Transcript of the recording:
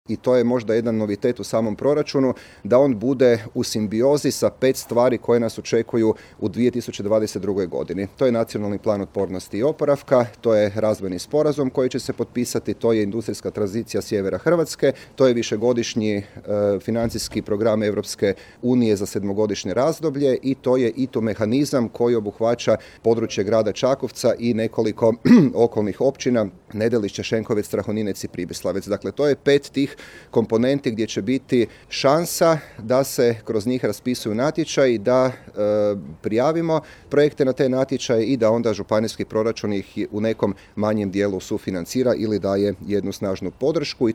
I to je možda jedan novitet u samom proračunu, da on bude u simbiozi sa 5 stvari koje nas očekuju u 2022. godini. To je Nacionalni plan otpornosti i oporavka, to je razvojni sporazum koji će se potpisati, to je industrijska tranzicija sjevera Hrvatske, to je višegodišnji financijski program Europske unije za 7-godišnje razdoblje i to je ITU mehanizam koji obuhvaća područje grada Čakovca i nekoliko okolnih općina, Nedelišće, Šenkovec, Strahoninec i Pribislavec. Dakle, to je 5 tih komponenti gdje će biti šansa da se kroz njih raspisuju natječaji, da prijavimo projekte na te natječaje i da onda županijski proračun ih u nekom manjem dijelu sufinancira ili daje jednu snažnu podršku.